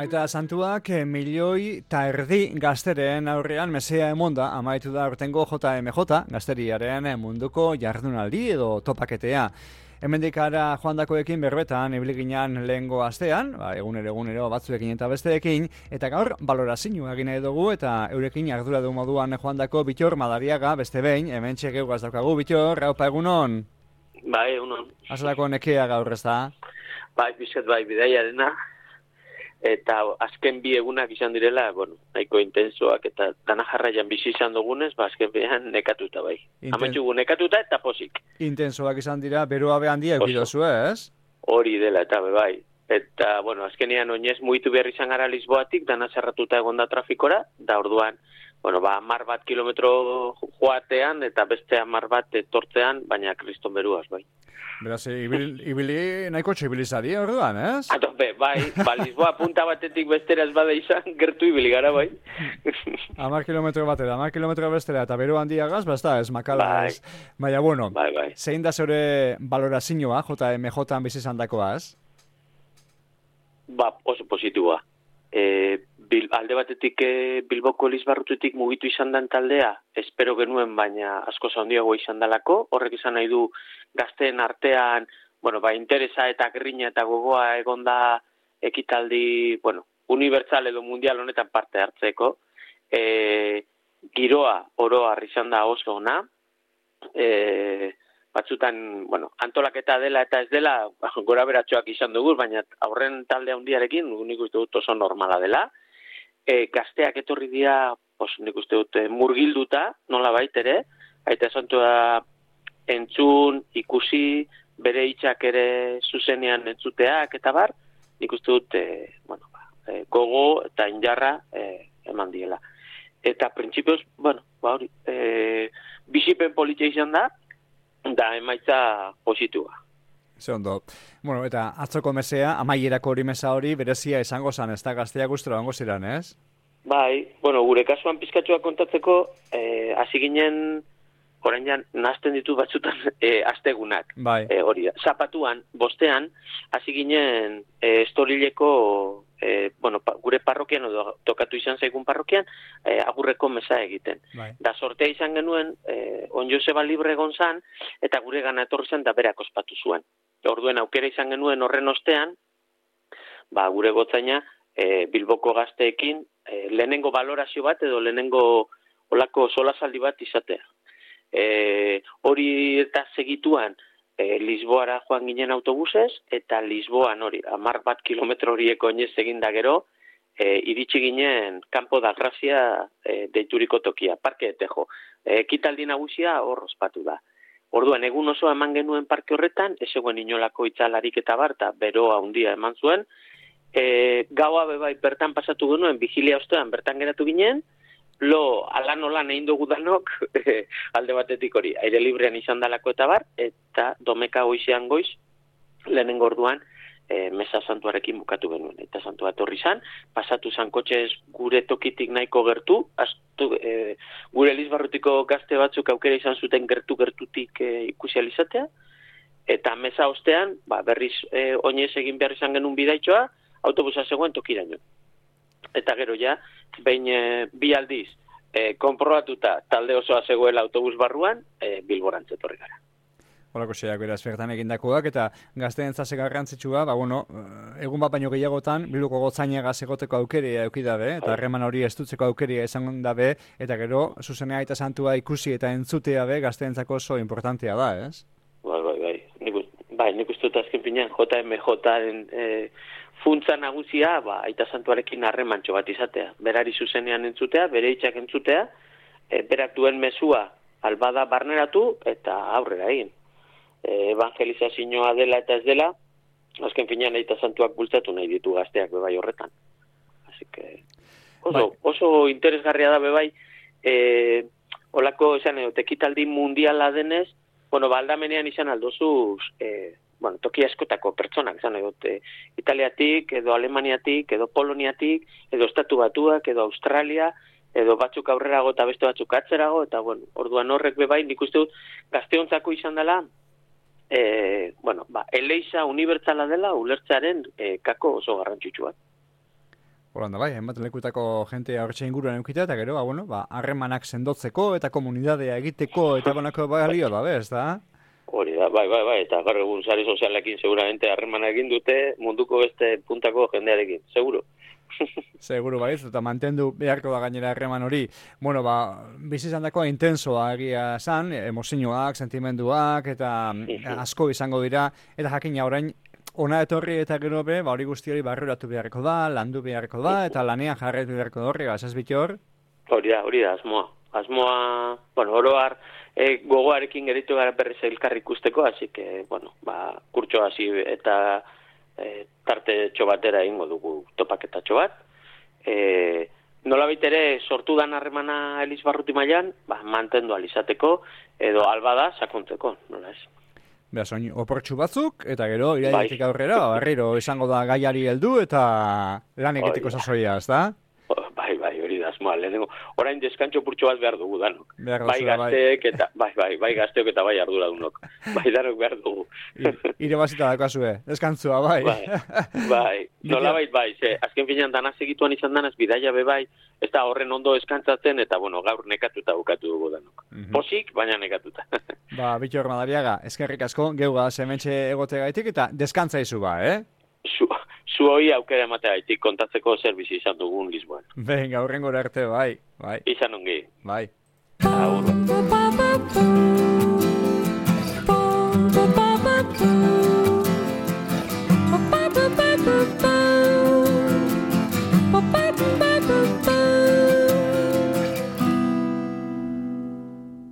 Aita santuak milioi eta erdi gazteren aurrean mesea emonda amaitu da urtengo JMJ gazteriaren munduko jardunaldi edo topaketea. Hemendik ara joandakoekin berbetan ibiliginan lehengo astean, egunero batzuekin eta besteekin, eta gaur balorazio egin nahi dugu eta eurekin ardura du moduan joandako Bittor Madariaga beste behin, hemen txegeugaz daukagu. Bittor, haupa egunon? Bai, egunon. Azalako nekea gaur ez da? Bai, bizet bai, bidaiarena. Eta azken bi egunak izan direla, nahiko intensoak eta dana jarraian bizi izan dugunez, azken bian nekatuta bai. Ametxugu nekatuta eta posik. Intensoak izan dira, beroa behan dia eukidozu, ez? Hori dela, eta bai. Eta, azkenean oinez mugitu behar izan gara Lisboatik, dana zerratuta egon da trafikora, da orduan, 10 kilometro joatean eta beste 10 etortzean, baina kriston beruaz, bai. Beraz, ibili nahiko txibilizari orduan, ez? Bai, Lisboa punta batetik bestera ez bada izan, gertu ibili gara, bai. 10 kilometro batera, 10 kilometro bestera, eta beru handiagaz, basta, ez makala, ez? Baina, bai. Zein da zeure balorazioa, JMJ-an bizi izan dakoaz? Oso positiboa. Alde batetik Bilboko Elizbarrututik mugitu izan den taldea, espero genuen, baina asko handiago izan dalako, horrek izan nahi du gazteen artean, interesa eta grina eta gogoa egonda ekitaldi, unibertsal edo mundial honetan parte hartzeko. Giroa oroar izan da oso ona, batzutan, antolaketa dela eta ez dela, gora beratxoak izan dugu, baina aurren talde handiarekin, nik uste dut oso normala dela. Gazteak etorri dira, nik uste dut, murgilduta, nola baitere, aita santua entzun, ikusi, bere hitzak ere zuzenean entzuteak eta bar, nik uste dut, gogo eta injarra eman diela. Eta printzipioz, bizipen politia izan da emaitza positua. Ze ondo. Eta atzoko mesea, amaierako hori mesa hori, berezia izango zan, ez da gazteak guztera ongo ziren, ez? Bai, gure kasuan pizkatxoa kontatzeko, hasi ginen, orain jan, nazten ditu batzutan astegunak. Bai. Hori da. Zapatuan, bostean, hasi ginen Estorileko, gure parrokian, edo tokatu izan zaigun parrokian, agurreko mesa egiten. Bai. Da sortea izan genuen, on Joseba libre egon zan, eta gure gana etorri zen da berak ospatu zuen. Orduen aukera izan genuen horren ostean, gure gotzaina Bilboko gazteekin lehenengo balorazio bat edo lehenengo olako solasaldi bat izatea. Hori eta segituan Lisboara joan ginen autobusez, eta Lisboan hori, 10 kilometro horieko oinez egin da gero, iritsi ginen Campo da Gracia deituriko tokia, Parke de Tejo. Ekitaldi nagusia hor ospatu da. Orduan, egun oso eman genuen parke horretan, ez eguen inolako itzalarik eta barta, beroa handia eman zuen. Gaua bebai bertan pasatu genuen, vigilia ostean bertan geratu ginen, alan egin dugu danok, alde batetik hori, aire librean izan dalako eta bar, eta domeka goizean goiz, lehenengo orduan, mesa santuarekin bukatu genuen. Eta santua etorri zan, pasatu zan kotxez gure tokitik nahiko gertu, gure Elizbarrutiko gazte batzuk aukera izan zuten gertutik ikusi alizatea, eta mesa ostean, berriz oinez egin behar izan genuen bidaitxoa, autobusa zegoen tokiraino. Eta gero ja, behin bi aldiz, konprobatuta talde osoa zegoela autobus barruan, Bilborantz etorri gara. Horako xeak beraz bertan egindakoak, eta gazteen zase garrantzitsua, egun bat baino gehiagotan, Bilboko gotzainagaz egoteko aukeria eukidabe, eta harreman hori estutzeko aukeria izan dabe, eta gero, zuzenea eta santua ikusi eta entzutea be, gazteentzako oso importantea da, ez? Bai, nik uste dut azken pinean JMJ-en funtza nagusia, aita santuarekin harremantxo bat izatea. Berari zuzenean entzutea, bere hitzak entzutea, berak duen mezua albada barneratu eta aurrera egin. Evangelizazioa dela eta ez dela, azken finean aita santuak bultzatu nahi ditu gazteak bebai horretan. Así que oso interesgarria da bebai, olako esan ekitaldi mundiala denez, aldamenean izan aldozuz, toki askotako pertsonak, izan Italiatik, edo Alemaniatik, edo Poloniatik, edo Estatu Batuak, edo Australia, edo batzuk aurrerago eta beste batzuk atzerago, eta orduan horrek bebai, nik uste dut, gazteontzako izan dela, eleiza unibertsala dela ulertzearen kako oso garrantzitsua. Holanda bai, hainbat lekutako jente hortxe inguruan eukita, eta gero, harremanak sendotzeko eta komunidadea egiteko eta banako balio da, bez, da? Hori da, bai, eta gaur egun sare sozialekin seguramente harremana egin dute munduko beste puntako jendearekin, seguro. Seguro baiz, eta mantendu beharko da gainera harreman hori. Bueno, bizi izan dakoa intensoa egia esan, emozioak, sentimenduak, eta asko izango dira, eta jakina orain, ona etorri eta gero be, hori guzti hori barruratu beharko da, landu beharko da, eta lanean jarretu beharko da horri, ez bitor? Hori da, asmoa. Asmoa, oroar, gogoarekin geritu gara berriz elkarri ikusteko, así que, kurtso hasi eta tarte txobatera ingo dugu topaketatxo bat. Nolabait ere sortu dan harremana Elizbarruti mailan, mantendu alizateko, edo albada sakontzeko, nola ez? Beha, soin, oportxu batzuk, eta gero, iraiatik aurrera, barriro izango da gaiari heldu eta lan egiteko sasoia, ez da? Bai, hori da, asmoa, lehenengo. Orain deskantxo purtxo bat behar dugu, danok. Bai gazteek eta, bai gazteok eta bai arduradunok. Bai, danok behar dugu. Ire bazita dakazue, deskantzua, bai. Bai, nolabait bai, azken finean danaz egituan izan danaz, bidaia be bai, ez da horren ondo eskantzatzen, eta gaur nekatuta bukatu dugu danok. Posik, baina nekatuta. Bitxor Madariaga, eskerrik asko, geuga zementxe egote gaitik, eta deskantza izu Zu hoi aukera ematea gaitik kontatzeko zer bizi izan dugun Lisboan. Venga, hurrengora arte, bai. Izan ongi. Bai. Agur.